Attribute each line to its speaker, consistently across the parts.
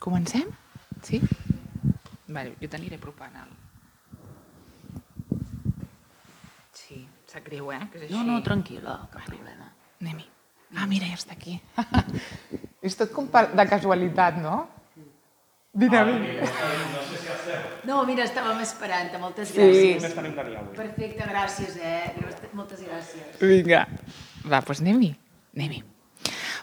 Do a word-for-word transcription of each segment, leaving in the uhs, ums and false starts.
Speaker 1: Comencem? Sí? Vale, jo t'aniré apropant el... Sí, sap greu, eh? Que és així.
Speaker 2: No, no, tranquil·la, cap vale. problema.
Speaker 1: Anem-hi. Ah, mira, ja està aquí. És tot com de casualitat, no? Dinàmic.
Speaker 2: No, mira, estàvem esperant-te, moltes gràcies.
Speaker 1: Sí.
Speaker 2: Perfecte, gràcies, eh? Moltes gràcies.
Speaker 1: Vinga. Va, doncs anem-hi. Anem-hi.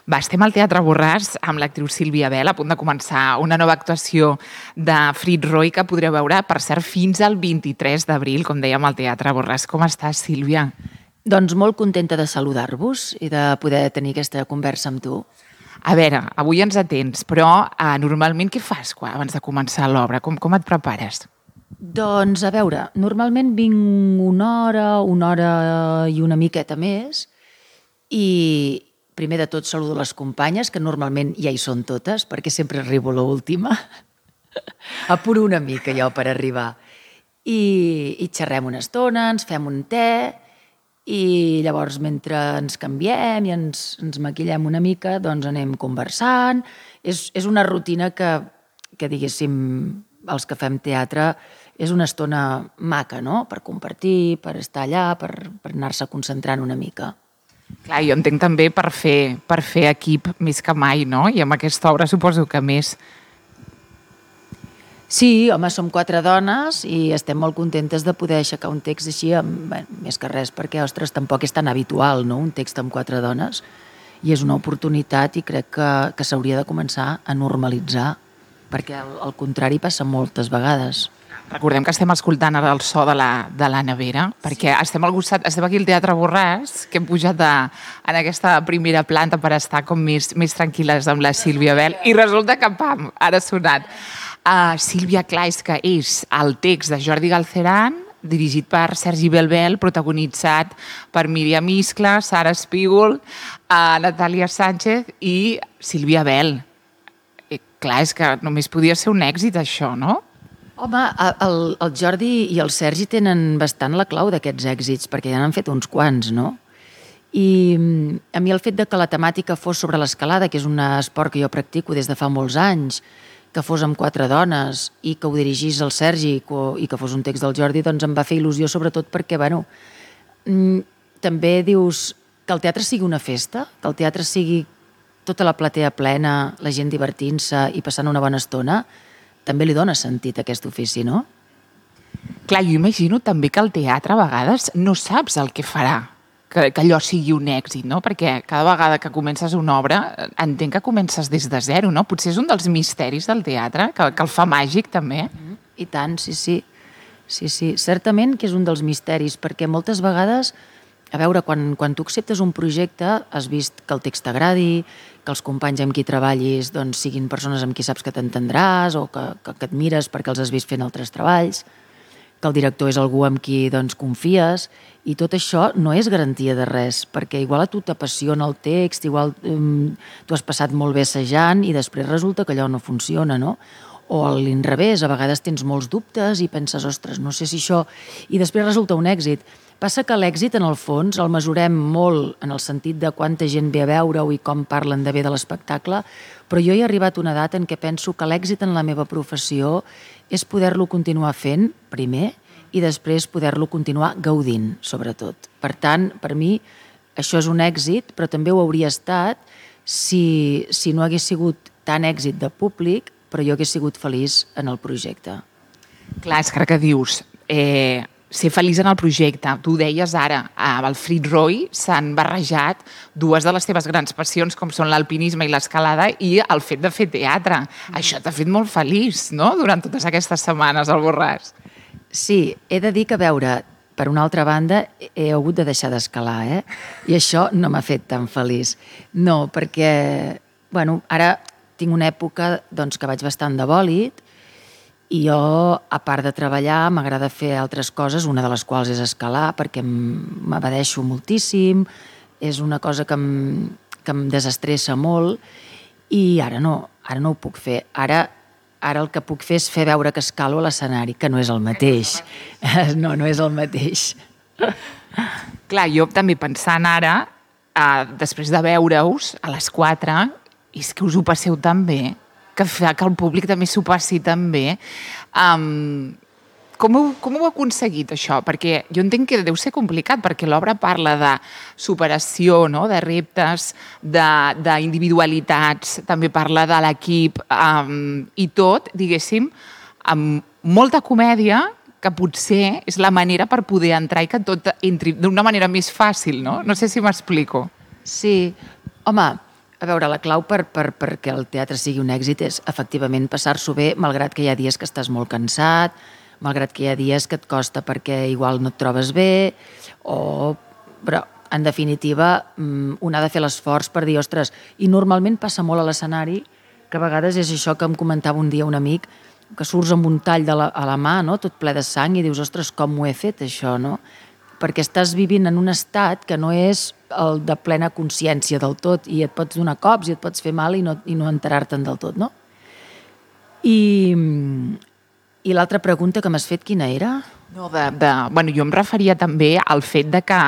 Speaker 1: Va, estem al Teatre Borràs amb l'actriu Sílvia Bel, a punt de començar una nova actuació de Frit Roy que podreu veure, per cert, fins al vint-i-tres d'abril, com dèiem, al Teatre Borràs. Com estàs, Sílvia?
Speaker 2: Doncs molt contenta de saludar-vos i de poder tenir aquesta conversa amb tu.
Speaker 1: A veure, avui ens atens, però eh, normalment què fas quan, abans de començar l'obra? Com, com et prepares?
Speaker 2: Doncs, a veure, normalment vinc una hora, una hora i una miqueta més i primer de tot saludo les companyes, que normalment ja hi són totes, perquè sempre arribo a l'última. Apuro una mica jo per arribar. I, i xerrem una estona, ens fem un te i llavors mentre ens canviem i ens, ens maquillem una mica, doncs anem conversant. És, és una rutina que, que, diguéssim, els que fem teatre, és una estona maca, no?, per compartir, per estar allà, per, per anar-se concentrant una mica.
Speaker 1: Clar, jo entenc també per fer, per fer equip més que mai, no? I amb aquesta obra suposo que més.
Speaker 2: Sí, home, som quatre dones i estem molt contentes de poder aixecar un text així, amb, bé, més que res, perquè, ostres, tampoc és tan habitual, no?, un text amb quatre dones, i és una oportunitat i crec que, que s'hauria de començar a normalitzar, perquè al, al contrari passa moltes vegades.
Speaker 1: Recordem que estem escoltant ara el so de la, de la nevera, perquè sí. estem al costat, estem aquí al Teatre Borràs, que hem pujat a, en aquesta primera planta per estar com més, més tranquil·les amb la Sílvia Bel, i resulta que, pam, ara ha sonat. Uh, Sílvia, clar, és que és el text de Jordi Galceran, dirigit per Sergi Belbel, protagonitzat per Míriam Iscla, Sara Espígol, uh, Natàlia Sánchez i Sílvia Bel. Eh, clar, és que només podia ser un èxit, això, no?
Speaker 2: Home, el, el Jordi i el Sergi tenen bastant la clau d'aquests èxits, perquè ja n'han fet uns quants, no? I a mi el fet de que la temàtica fos sobre l'escalada, que és un esport que jo practico des de fa molts anys, que fos amb quatre dones i que ho dirigís el Sergi i que fos un text del Jordi, doncs em va fer il·lusió, sobretot perquè, bueno, també dius que el teatre sigui una festa, que el teatre sigui tota la platea plena, la gent divertint-se i passant una bona estona, també li dona sentit a aquest ofici, no?
Speaker 1: Clar, jo imagino també que el teatre a vegades no saps el que farà, que, que allò sigui un èxit, no? Perquè cada vegada que comences una obra entenc que comences des de zero, no? Potser és un dels misteris del teatre, que, que el fa màgic també.
Speaker 2: I tant, sí, sí. Sí, sí. Certament que és un dels misteris, perquè moltes vegades, a veure, quan, quan tu acceptes un projecte, has vist que el text t'agradi, que els companys amb qui treballis doncs, siguin persones amb qui saps que t'entendràs o que, que, que et mires perquè els has vist fent altres treballs, que el director és algú amb qui doncs, confies, i tot això no és garantia de res, perquè igual a tu t'apassiona el text, igual um, tu has passat molt bé assajant i després resulta que allò no funciona, no? O a l'inrevés, a vegades tens molts dubtes i penses, ostres, no sé si això... I després resulta un èxit. Passa que l'èxit, en el fons, el mesurem molt en el sentit de quanta gent ve a veure-ho i com parlen de bé de l'espectacle, però jo he arribat a una edat en què penso que l'èxit en la meva professió és poder-lo continuar fent, primer, i després poder-lo continuar gaudint, sobretot. Per tant, per mi, això és un èxit, però també ho hauria estat si, si no hagués sigut tan èxit de públic, però jo hagués sigut feliç en el projecte.
Speaker 1: Clar, és que dius... Eh... ser feliç en el projecte. Tu deies ara, amb el Frit Roy s'han barrejat dues de les teves grans passions, com són l'alpinisme i l'escalada, i el fet de fer teatre. Mm. Això t'ha fet molt feliç, no?, durant totes aquestes setmanes al Borràs.
Speaker 2: Sí, he de dir que, a veure, per una altra banda, he hagut de deixar d'escalar, eh? I això no m'ha fet tan feliç. No, perquè, bueno, ara tinc una època doncs, que vaig bastant de bòlit, i jo, a part de treballar, m'agrada fer altres coses, una de les quals és escalar, perquè m'abadeixo moltíssim, és una cosa que em, que em desestressa molt, i ara no, ara no ho puc fer. Ara, ara el que puc fer és fer veure que escalo a l'escenari, que no és el mateix. No, no és el mateix.
Speaker 1: Clar, jo també pensant ara, eh, després de veure-us a les quatre, és que us ho passeu tan bé. que fa que el públic també s'ho passi també. Um, com, heu, com heu aconseguit això? Perquè jo entenc que deu ser complicat, perquè l'obra parla de superació, no? De reptes, d'individualitats, també parla de l'equip, um, i tot, diguéssim, amb molta comèdia, que potser és la manera per poder entrar i que tot entri d'una manera més fàcil, no? No sé si m'explico.
Speaker 2: Sí. Home, a veure, la clau per, per, perquè el teatre sigui un èxit és efectivament passar-s'ho bé, malgrat que hi ha dies que estàs molt cansat, malgrat que hi ha dies que et costa perquè igual no et trobes bé, o... però en definitiva un ha de fer l'esforç per dir, ostres, i normalment passa molt a l'escenari, que a vegades és això que em comentava un dia un amic, que surts amb un tall de la, a la mà, no? Tot ple de sang, i dius, ostres, com ho he fet això, no? Perquè estàs vivint en un estat que no és el de plena consciència del tot, i et pots donar cops i et pots fer mal i no, i no enterar-te'n del tot, no? I, i l'altra pregunta que m'has fet, quina era?
Speaker 1: No, de, de, bueno, jo em referia també al fet de que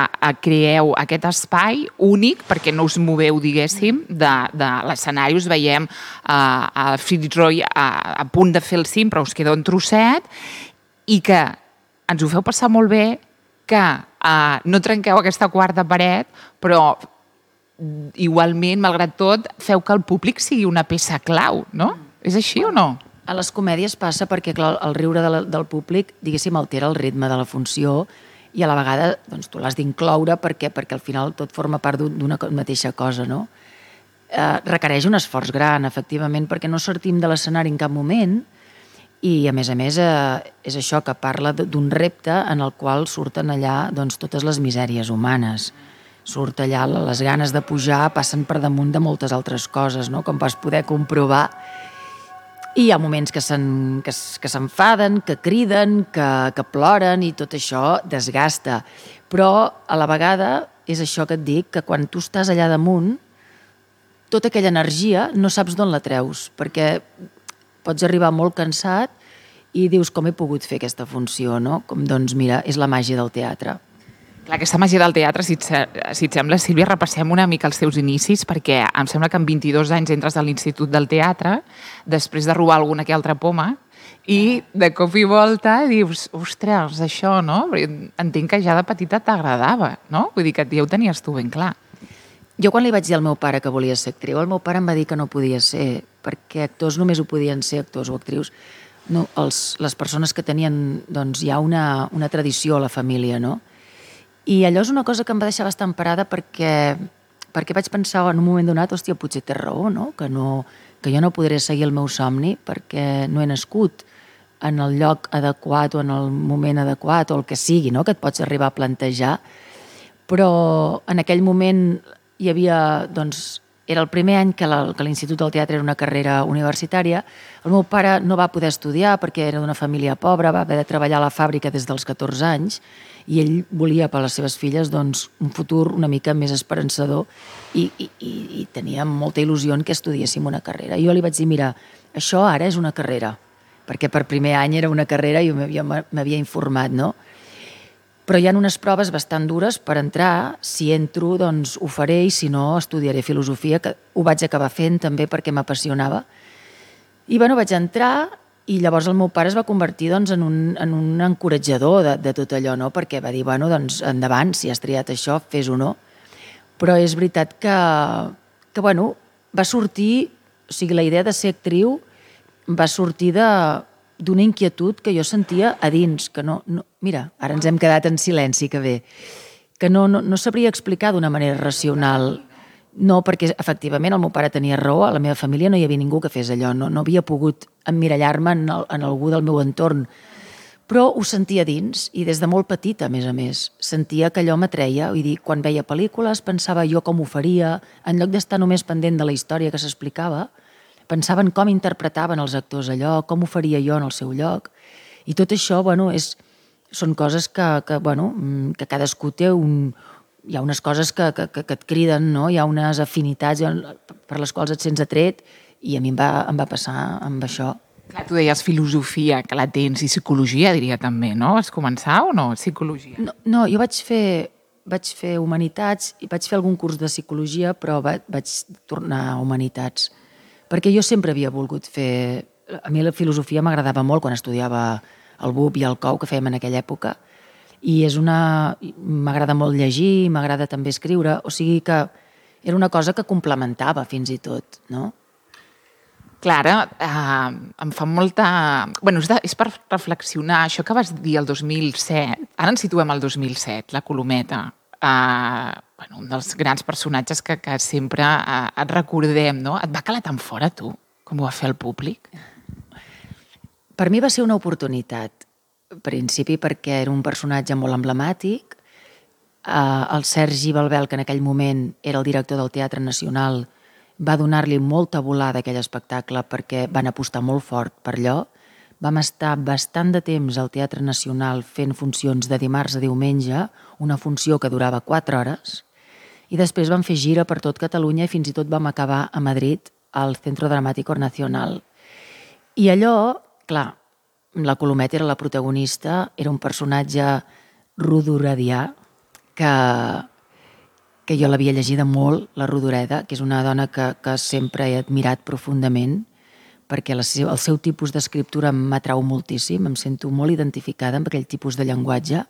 Speaker 1: creeu aquest espai únic, perquè no us moveu, diguéssim, de, de l'escenari. Us veiem uh, a Fitzroy a, a punt de fer el cim, però us queda un trosset, i que ens ho feu passar molt bé, que uh, no trenqueu aquesta quarta paret, però igualment, malgrat tot, feu que el públic sigui una peça clau, no? És així o no?
Speaker 2: A les comèdies passa perquè, clar, el riure de la, del públic, diguéssim, altera el ritme de la funció, i a la vegada doncs, tu l'has d'incloure perquè, perquè al final tot forma part d'una mateixa cosa, no? Eh, requereix un esforç gran, efectivament, perquè no sortim de l'escenari en cap moment, i a més a més eh, és això que parla d'un repte en el qual surten allà doncs, totes les misèries humanes. Surt allà les ganes de pujar, passen per damunt de moltes altres coses, no? Com vas poder comprovar. I hi ha moments que s'enfaden, que, que criden, que, que ploren, i tot això desgasta. Però a la vegada és això que et dic, que quan tu estàs allà damunt, tota aquella energia no saps d'on la treus, perquè pots arribar molt cansat i dius, com he pogut fer aquesta funció, no? Com, doncs mira, és la màgia del teatre.
Speaker 1: Clar, aquesta màgia del teatre, si et, si et sembla, Sílvia, repassem una mica els teus inicis, perquè em sembla que amb vint-i-dos anys entres a l'Institut del Teatre, després de robar alguna que altra poma, i de cop i volta dius, ostres, això, no? Entenc que ja de petita t'agradava, no? Vull dir que ja ho tenies tu ben clar.
Speaker 2: Jo quan li vaig dir al meu pare que volia ser actriu, el meu pare em va dir que no podia ser, perquè actors només ho podien ser actors o actrius. No, els, les persones que tenien, doncs hi ha una, una tradició a la família, no? I allò és una cosa que em va deixar bastant parada perquè, perquè vaig pensar en un moment donat, hòstia, potser té raó, no? Que, no, que jo no podré seguir el meu somni perquè no he nascut en el lloc adequat o en el moment adequat o el que sigui, no? Que et pots arribar a plantejar. Però en aquell moment hi havia, doncs, era el primer any que l'Institut del Teatre era una carrera universitària. El meu pare no va poder estudiar perquè era d'una família pobra, va haver de treballar a la fàbrica des dels catorze anys, i ell volia per a les seves filles doncs, un futur una mica més esperançador i, i, i tenia molta il·lusió en que estudiéssim una carrera. I jo li vaig dir, mira, això ara és una carrera, perquè per primer any era una carrera i jo m'havia informat, no? Però hi ha unes proves bastant dures per entrar, si entro doncs ho faré i si no estudiaré filosofia, que ho vaig acabar fent també perquè m'apassionava. I bueno, vaig entrar i llavors el meu pare es va convertir doncs, en, un, en un encoratjador de, de tot allò, no? Perquè va dir, bueno, doncs endavant, si has triat això, fes-ho, no? Però és veritat que, que bueno, va sortir, o sigui, la idea de ser actriu va sortir de d'una inquietud que jo sentia a dins, que no, no... Mira, ara ens hem quedat en silenci, que bé, que no, no, no sabria explicar d'una manera racional. No, perquè efectivament el meu pare tenia raó, a la meva família no hi havia ningú que fes allò, no, no havia pogut emmirallar-me en, el, en algú del meu entorn, però ho sentia dins, i des de molt petita, a més a més, sentia que allò m'atreia, vull dir, quan veia pel·lícules pensava jo com ho faria, en lloc d'estar només pendent de la història que s'explicava, pensava en com interpretaven els actors allò, com ho faria jo en el seu lloc, i tot això, bueno, és, són coses que, que, bueno, que cadascú té un... Hi ha unes coses que, que, que et criden, no? Hi ha unes afinitats per les quals et sents atret, i a mi em va, em va passar amb això.
Speaker 1: Clar, tu deies filosofia, que la tens, i psicologia, diria també, no? Vas començar o no, psicologia?
Speaker 2: No, no jo vaig fer, vaig fer humanitats, i vaig fer algun curs de psicologia, però va, vaig tornar a humanitats, perquè jo sempre havia volgut fer... A mi la filosofia m'agradava molt quan estudiava el B U P i el C O U, que fèiem en aquella època, i és una... m'agrada molt llegir, m'agrada també escriure, o sigui que era una cosa que complementava fins i tot, no?
Speaker 1: Clara, eh, em fa molta... Bueno, és, de, és per reflexionar això que vas dir el dos mil set. Ara ens situem al dos mil set, la Colometa. Eh, bueno, un dels grans personatges que, que sempre eh, et recordem, no? Et va calar tan fora, tu, com ho va fer el públic?
Speaker 2: Per mi va ser una oportunitat, en principi perquè era un personatge molt emblemàtic. Uh, el Sergi Balbel, que en aquell moment era el director del Teatre Nacional, va donar-li molta volada a aquell espectacle perquè van apostar molt fort per allò. Vam estar bastant de temps al Teatre Nacional fent funcions de dimarts a diumenge, una funció que durava quatre hores, i després vam fer gira per tot Catalunya i fins i tot vam acabar a Madrid, al Centro Dramático Nacional. I allò, clar, la Colometa era la protagonista, era un personatge rodoredià, que, que jo l'havia llegida molt, la Rodoreda, que és una dona que, que sempre he admirat profundament, perquè la seu, el seu tipus d'escriptura m'atrau moltíssim, em sento molt identificada amb aquell tipus de llenguatge.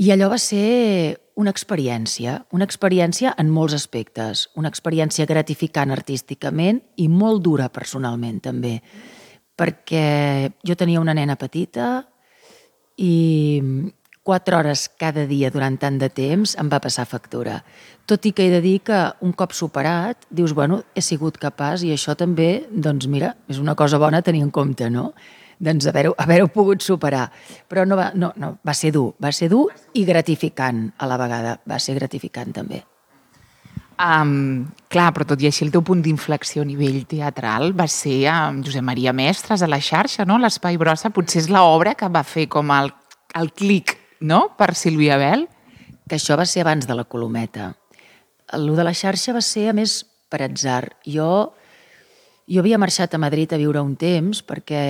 Speaker 2: I allò va ser una experiència, una experiència en molts aspectes, una experiència gratificant artísticament i molt dura personalment també, perquè jo tenia una nena petita i quatre hores cada dia durant tant de temps em va passar factura. Tot i que he de dir que un cop superat, dius, bueno, he sigut capaç i això també, doncs mira, és una cosa bona a tenir en compte, no? Doncs haver-ho haver pogut superar. Però no va, no, no, va ser dur, va ser dur i gratificant a la vegada, va ser gratificant també.
Speaker 1: Um, clar, però tot i així el teu punt d'inflexió a nivell teatral va ser amb Josep Maria Mestres a la xarxa, no? L'Espai Brossa potser és l'obra que va fer com el, el clic, no?, per Sílvia Bel.
Speaker 2: Que això va ser abans de la Colometa. El de la xarxa va ser, a més, per atzar. Jo, jo havia marxat a Madrid a viure un temps perquè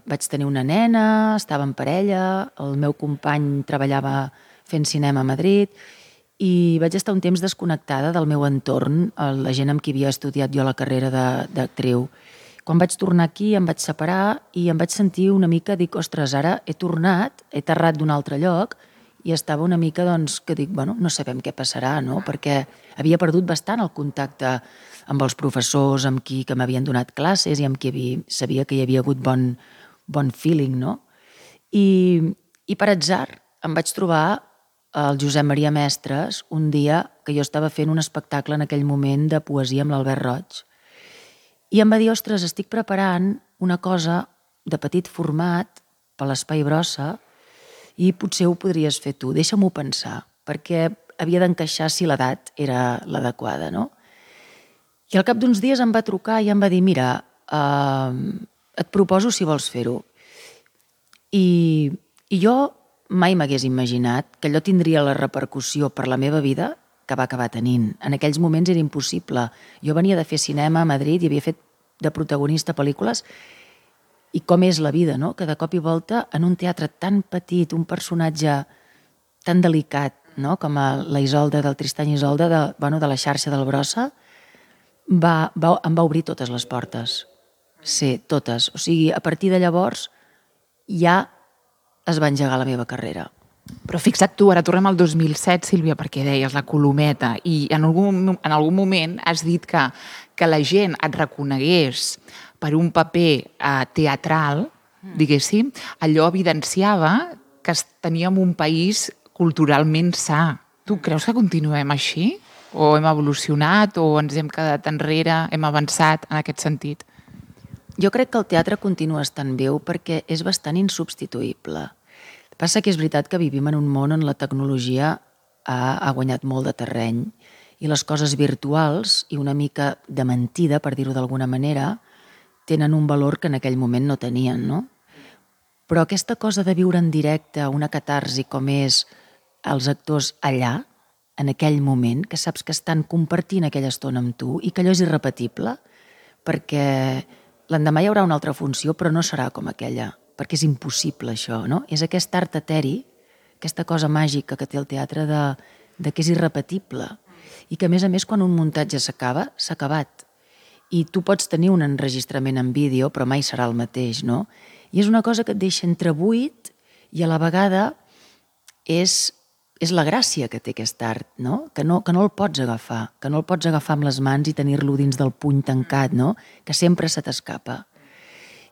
Speaker 2: vaig tenir una nena, estava en parella, el meu company treballava fent cinema a Madrid i vaig estar un temps desconnectada del meu entorn, la gent amb qui havia estudiat jo la carrera d'actriu. Quan vaig tornar aquí em vaig separar i em vaig sentir una mica, dic, ostres, ara he tornat, he aterrat d'un altre lloc i estava una mica, doncs, que dic, bueno, no sabem què passarà, no? Perquè havia perdut bastant el contacte amb els professors, amb qui que m'havien donat classes i amb qui havia, sabia que hi havia hagut bon, bon feeling, no? I, i per atzar em vaig trobar el Josep Maria Mestres un dia que jo estava fent un espectacle en aquell moment de poesia amb l'Albert Roig. I em va dir, ostres, estic preparant una cosa de petit format per l'Espai Brossa i potser ho podries fer tu, deixa-m'ho pensar, perquè havia d'encaixar si l'edat era l'adequada, no? I al cap d'uns dies em va trucar i em va dir, mira, eh, et proposo si vols fer-ho. I, I jo mai m'hagués imaginat que allò tindria la repercussió per la meva vida que va acabar tenint. En aquells moments era impossible. Jo venia de fer cinema a Madrid i havia fet de protagonista pel·lícules i com és la vida, no? Que de cop i volta en un teatre tan petit, un personatge tan delicat, no? Com la Isolda del Tristany Isolda, de, bueno, de la xarxa del Brossa, va, va, em va obrir totes les portes. Sí, totes. O sigui, a partir de llavors ja es va engegar la meva carrera.
Speaker 1: Però fixa't tu, ara tornem al dos mil set, Sílvia, perquè deies la Colometa, i en algun, en algun moment has dit que, que la gent et reconegués per un paper eh, teatral, diguéssim, allò evidenciava que teníem un país culturalment sa. Tu creus que continuem així? O hem evolucionat, o ens hem quedat enrere, hem avançat en aquest sentit?
Speaker 2: Jo crec que el teatre continua estant viu perquè és bastant insubstituïble. Passa que és veritat que vivim en un món on la tecnologia ha, ha guanyat molt de terreny i les coses virtuals i una mica de mentida, per dir-ho d'alguna manera, tenen un valor que en aquell moment no tenien, no? Però aquesta cosa de viure en directe, una catarsi com és els actors allà, en aquell moment, que saps que estan compartint aquella estona amb tu i que allò és irrepetible, perquè l'endemà hi haurà una altra funció, però no serà com aquella, perquè és impossible això, no? És aquest art eteri, aquesta cosa màgica que té el teatre de, de que és irrepetible i que a més a més quan un muntatge s'acaba, s'ha acabat i tu pots tenir un enregistrament en vídeo, però mai serà el mateix, no? I és una cosa que et deixa entrebuit i a la vegada és, és la gràcia que té aquest art, no? Que, no? que no el pots agafar, que no el pots agafar amb les mans i tenir-lo dins del puny tancat, no? Que sempre se t'escapa.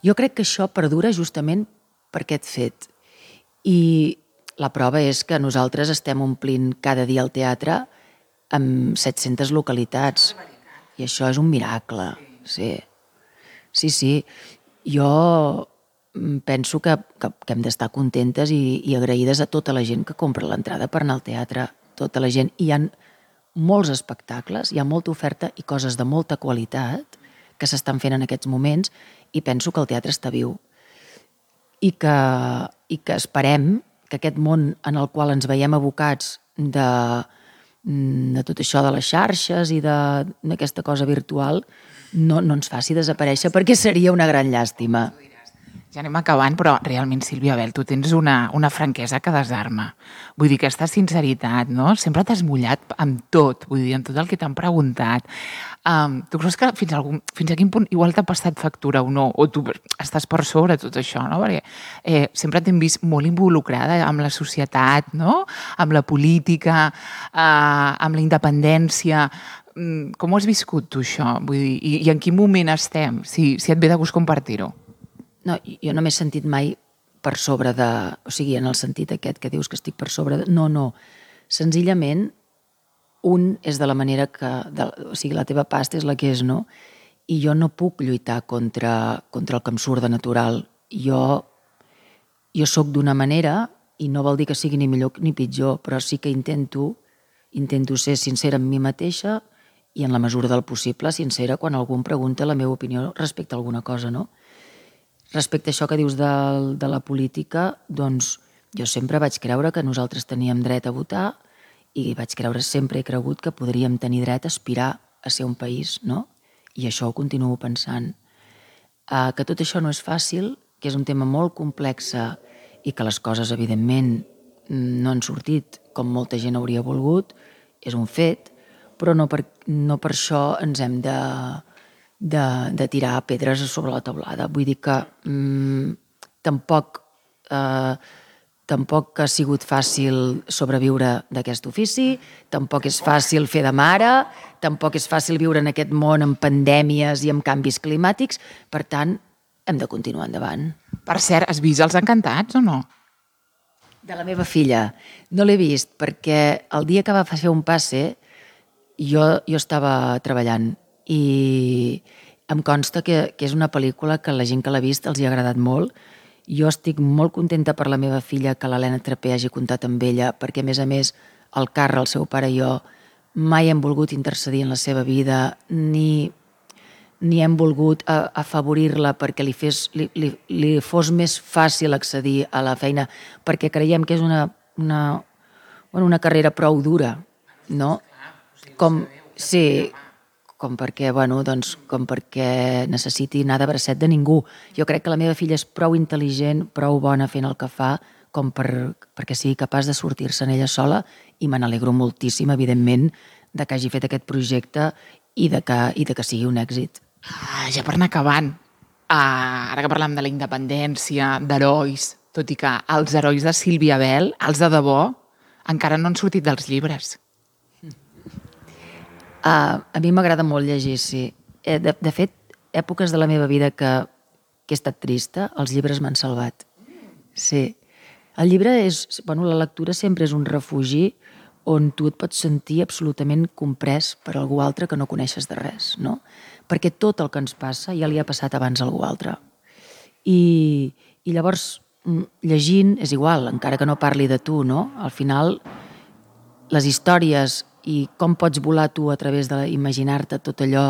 Speaker 2: Jo crec que això perdura justament per aquest fet. I la prova és que nosaltres estem omplint cada dia el teatre amb set-centes localitats. I això és un miracle. Sí, sí. sí. Jo penso que, que, que hem d'estar contentes i, i agraïdes a tota la gent que compra l'entrada per anar al teatre. Tota la gent. I hi ha molts espectacles, hi ha molta oferta i coses de molta qualitat que s'estan fent en aquests moments i penso que el teatre està viu. I que, i que esperem que aquest món en el qual ens veiem abocats de, de tot això de les xarxes i d'aquesta cosa virtual no, no ens faci desaparèixer, perquè seria una gran llàstima.
Speaker 1: Ja anem acabant, però realment, Sílvia Bel, tu tens una, una franquesa que desarma. Vull dir, aquesta sinceritat, no? Sempre t'has mullat amb tot, vull dir, amb tot el que t'han preguntat. Um, tu creus que fins a, algun, fins a quin punt igual t'ha passat factura o no? O tu estàs per sobre tot això, no? Perquè eh, sempre t'hem vist molt involucrada amb la societat, no? Amb la política, eh, amb la independència. Com ho has viscut tu, això? Vull dir, i, i en quin moment estem? Si, si et ve de gust compartir-ho.
Speaker 2: No, jo no m'he sentit mai per sobre de... O sigui, en el sentit aquest que dius que estic per sobre de... No, no. Senzillament, un és de la manera que... De, o sigui, la teva pasta és la que és, no? I jo no puc lluitar contra, contra el que em surt de natural. Jo, jo sóc d'una manera i no vol dir que sigui ni millor ni pitjor, però sí que intento, intento ser sincera amb mi mateixa i en la mesura del possible sincera quan algú em pregunta la meva opinió respecte a alguna cosa, no? Respecte a això que dius de, de la política, doncs jo sempre vaig creure que nosaltres teníem dret a votar i vaig creure, sempre he cregut que podríem tenir dret a aspirar a ser un país, no? I això ho continuo pensant. Uh, que tot això no és fàcil, que és un tema molt complex i que les coses, evidentment, no han sortit com molta gent hauria volgut, és un fet, però no per, no per això ens hem de... De, de tirar pedres sobre la teulada. Vull dir que mmm, tampoc, eh, tampoc ha sigut fàcil sobreviure d'aquest ofici, tampoc és fàcil fer de mare, tampoc és fàcil viure en aquest món amb pandèmies i amb canvis climàtics, per tant, hem de continuar endavant.
Speaker 1: Per cert, has vist Els Encantats o no?
Speaker 2: De la meva filla. No l'he vist perquè el dia que va fer un passe jo, jo estava treballant i em consta que, que és una pel·lícula que la gent que l'ha vist els hi ha agradat molt. Jo estic molt contenta per la meva filla que l'Helena Trapé hagi comptat amb ella, perquè a més a més el Carra, el seu pare i jo, mai hem volgut intercedir en la seva vida, ni, ni hem volgut afavorir-la perquè li, fes, li, li, li fos més fàcil accedir a la feina, perquè creiem que és una, una, bueno, una carrera prou dura, no? Com, sí, com perquè, bueno, doncs, com perquè necessiti anar de bracet de ningú. Jo crec que la meva filla és prou intel·ligent, prou bona fent el que fa, com per, perquè sigui capaç de sortir-se en ella sola, i me n'alegro moltíssim, evidentment, de que hagi fet aquest projecte i de que, i de que sigui un èxit.
Speaker 1: Ah, ja per anar acabant, ah, ara que parlem de la independència, d'herois, tot i que els herois de Sílvia Bel, els de debò, encara no han sortit dels llibres.
Speaker 2: Uh, a mi m'agrada molt llegir, sí. De, de fet, èpoques de la meva vida que, que he estat trista, els llibres m'han salvat. Sí. El llibre és... Bueno, la lectura sempre és un refugi on tu et pots sentir absolutament comprès per algú altre que no coneixes de res, no? Perquè tot el que ens passa ja li ha passat abans a algú altre. I, i llavors, llegint, és igual, encara que no parli de tu, no? Al final, les històries i com pots volar tu a través d'imaginar-te tot allò,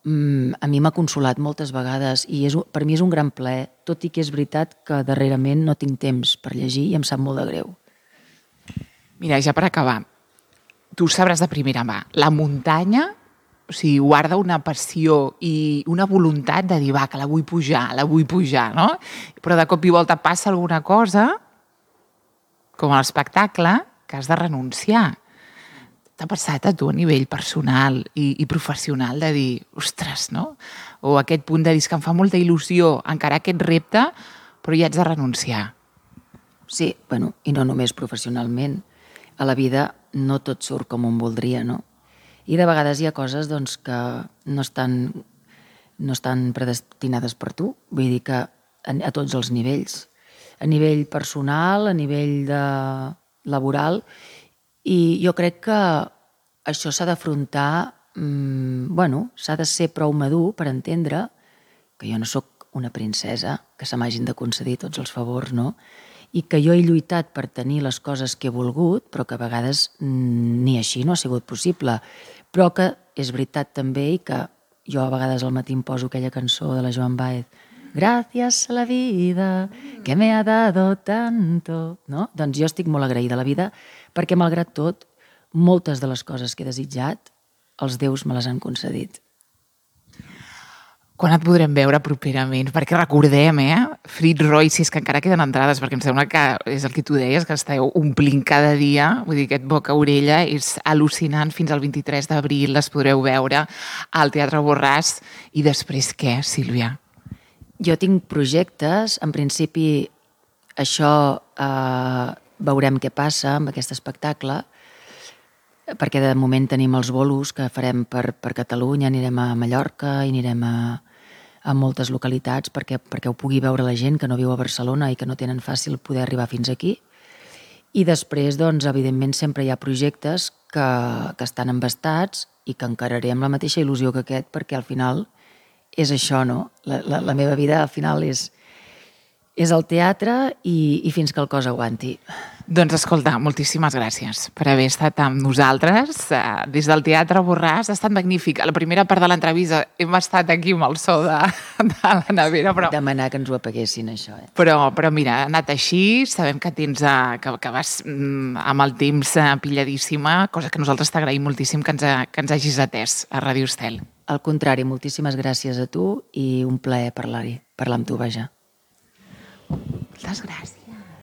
Speaker 2: a mi m'ha consolat moltes vegades i és, per mi és un gran plaer, tot i que és veritat que darrerament no tinc temps per llegir i em sap molt de greu.
Speaker 1: Mira, ja per acabar, tu sabràs de primera mà, la muntanya, o sigui, guarda una passió i una voluntat de dir, va, que la vull pujar, la vull pujar, no? Però de cop i volta passa alguna cosa, com a l'espectacle, que has de renunciar. t'ha passat a tu a nivell personal i, i professional de dir, ostres, no? O aquest punt de dir que em fa molta il·lusió encarar aquest repte, però hi haig de renunciar.
Speaker 2: Sí, bueno, i no només professionalment. A la vida no tot surt com un voldria, no? I de vegades hi ha coses doncs, que no estan, no estan predestinades per tu. Vull dir que a, a tots els nivells. A nivell personal, a nivell de laboral. I jo crec que això s'ha d'afrontar, mmm, bueno, s'ha de ser prou madur per entendre que jo no sóc una princesa, que se m'hagin de concedir tots els favors, no? I que jo he lluitat per tenir les coses que he volgut, però que a vegades ni així no ha sigut possible. Però que és veritat també i que jo a vegades al matí em poso aquella cançó de la Joan Baez, Gracias a la vida que me ha dado tanto, no? Doncs jo estic molt agraïda a la vida perquè, malgrat tot, moltes de les coses que he desitjat, els déus me les han concedit.
Speaker 1: Quan et podrem veure properament? Perquè recordem, eh? Frit Royces, que encara queden entrades, perquè em sembla que és el que tu deies, que esteu omplint cada dia, vull dir, aquest boca-orella és al·lucinant. Fins al vint-i-tres d'abril les podreu veure al Teatre Borràs. I després què, Sílvia?
Speaker 2: Jo tinc projectes, en principi això eh, veurem què passa amb aquest espectacle, perquè de moment tenim els bolos que farem per, per Catalunya, anirem a Mallorca i anirem a, a moltes localitats perquè, perquè ho pugui veure la gent que no viu a Barcelona i que no tenen fàcil poder arribar fins aquí. I després, doncs, evidentment, sempre hi ha projectes que, que estan embastats i que encararé amb la mateixa il·lusió que aquest, perquè al final és això, no? La, la, la meva vida al final és, és el teatre i, i fins que el cos aguanti.
Speaker 1: Doncs escolta, moltíssimes gràcies per haver estat amb nosaltres des del Teatre Borràs. Ha estat magnífic. A la primera part de l'entrevista hem estat aquí amb el so de, de la nevera. Però...
Speaker 2: Demanar que ens ho apaguessin, això. Eh?
Speaker 1: Però, però mira, ha anat així. Sabem que tens que, que vas amb el temps pilladíssima, cosa que nosaltres t'agraïm moltíssim que ens, que ens hagis atès a Ràdio Estel.
Speaker 2: Al contrari, moltíssimes gràcies a tu i un plaer parlar-hi, parlar amb tu, vaja.
Speaker 1: Moltes gràcies.